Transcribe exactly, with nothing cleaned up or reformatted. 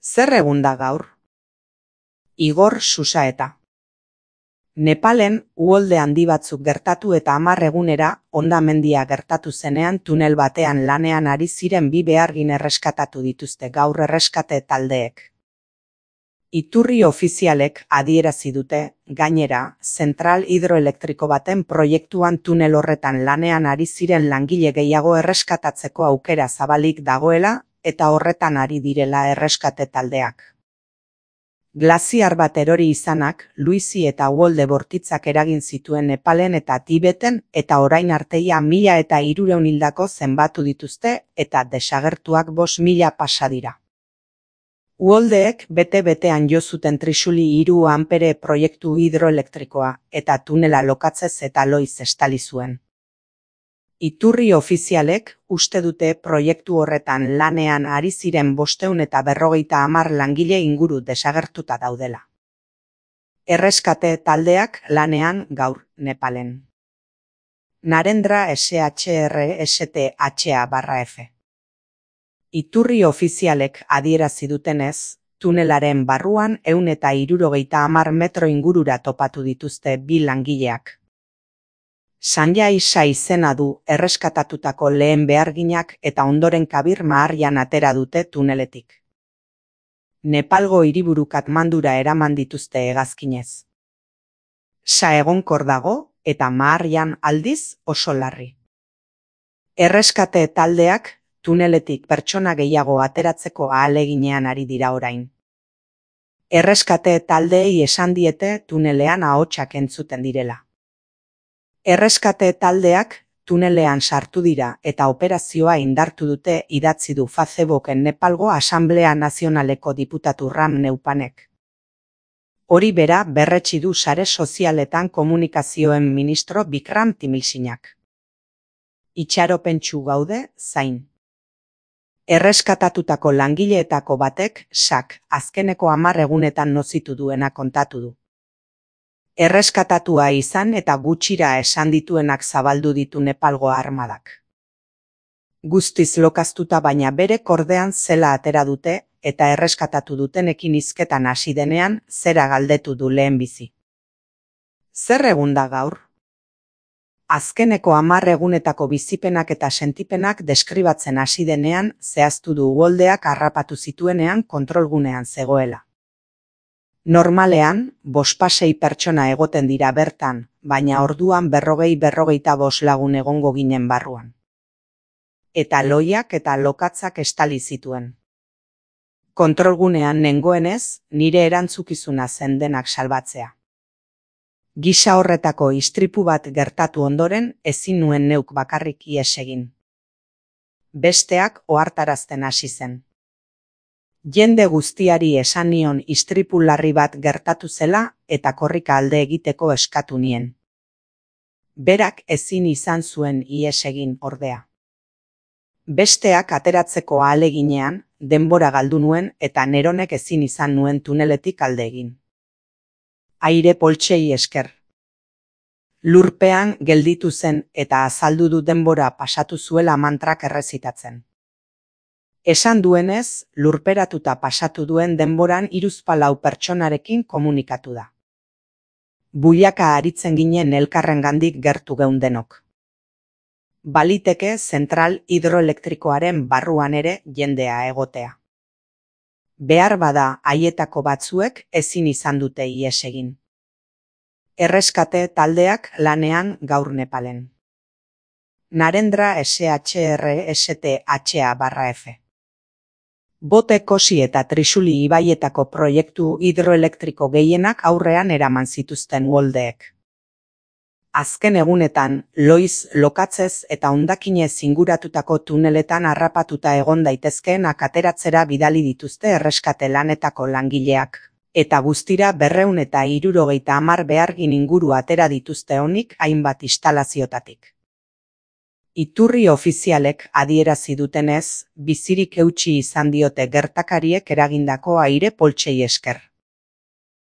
Zer egun da gaur? Igor Susaeta. Nepalen uholde handi batzuk gertatu eta hamar egunera hondamendia gertatu zenean tunel batean lanean ari ziren bi behargin erreskatatu dituzte gaur erreskate taldeek. Iturri ofizialek adierazi dute, gainera, zentral hidroelektriko baten proiektuan tunel horretan lanean ari ziren langile gehiago erreskatatzeko aukera zabalik dagoela eta horretan ari direla erreskate taldeak. Glaziar bat erori izanak, Luizi eta uholde bortitzak eragin zituen Nepalen eta Tibeten eta orain arteia mila eta hirurehun hildako zenbatu dituzte eta desagertuak bost mila pasa dira. Uholdeek bete-betean jo zuten Trixuli hiru ampere proiektu hidroelektrikoa eta tunela lokatzez eta loiz estali zuen. Iturri ofizialek uste dute proiektu horretan lanean ari ziren bostehun eta berrogeita hamar langile inguru desagertuta daudela. Erreskate taldeak lanean gaur Nepalen. Narendra S H R S T H A barra F. Iturri ofizialek adierazi dutenez, tunelaren barruan ehun eta hirurogeita hamar metro ingurura topatu dituzte bi langileak. Sanjay Shah izena du erreskatatutako lehen beharginak eta ondoren Kabir Maharjan atera dute tuneletik. Nepalgo hiriburu Katmandura eraman dituzte hegazkinez. Shah egonkor dago eta Maharjan aldiz oso larri. Erreskate taldeak tuneletik pertsona gehiago ateratzeko ahaleginean ari dira orain. Erreskate taldeei esan diete tunelean ahotsak entzuten direla. Erreskate taldeak tunelean sartu dira eta operazioa indartu dute idatzi du Facebooken Nepalgo Asanblea Nazionaleko diputatu Ram Neupanek. Hori bera berretsi du sare sozialetan komunikazioen ministro Bikram Timilsinak. Itxaropentsu gaude, zain. Erreskatatutako langileetako batek, Shak, azkeneko hamar egunetan nozitu duena kontatu du. Erreskatatua izan eta gutxira esan dituenak zabaldu ditu Nepalgo armadak. Guztiz lokaztuta baina bere kordean zela atera dute eta erreskatatu dutenekin hizketan hasi denean zera galdetu du lehenbizi. Zer egun da gaur? Azkeneko hamar egunetako bizipenak eta sentipenak deskribatzen hasi denean zehaztu du uholdeak harrapatu zituenean kontrolgunean zegoela. Normalean, bospasei pertsona egoten dira bertan, baina orduan berrogei berrogeita bost lagun egongo ginen barruan. Eta loiak eta lokatzak estali zituen. Kontrolgunean nengoenez, nire erantzukizuna zen denak salbatzea. Gisa horretako istripu bat gertatu ondoren ezin nuen neuk bakarrik ihes egin. Besteak ohartarazten hasi zen. Jende guztiari esan nion istripu larri bat gertatu zela eta korrika alde egiteko eskatu nien. Berak ezin izan zuen ihes egin ordea. Besteak ateratzeko ahaleginean, denbora galdu nuen eta neronek ezin izan nuen tuneletik alde egin. Aire poltsei esker. Lurpean gelditu zen eta azaldu du denbora pasatu zuela mantrak errezitatzen. Esan duenez, lurperatuta pasatu duen denboran hiruzpalau pertsonarekin komunikatu da. Buiaka aritzen ginen elkarrengandik gertu geundenok. Baliteke zentral hidroelektrikoaren barruan ere jendea egotea. Behar bada haietako batzuek ezin izan dute ihes egin. Erreskate taldeak lanean gaur Nepalen. Narendra S H R S T H A barra F. Bote Kosi eta Trixuli ibaietako proiektu hidroelektriko gehienak aurrean eraman zituzten uholdeek. Azken egunetan, loiz, lokatzez eta hondakinez inguratutako tuneletan harrapatuta egon daitezkeenak ateratzera bidali dituzte erreskate lanetako langileak, eta guztira berrehun eta hirurogeita hamar behargin inguru atera dituzte onik hainbat instalaziotatik. Iturri ofizialek adierazi dutenez, bizirik eutsi izan diote gertakariek eragindako aire poltsei esker.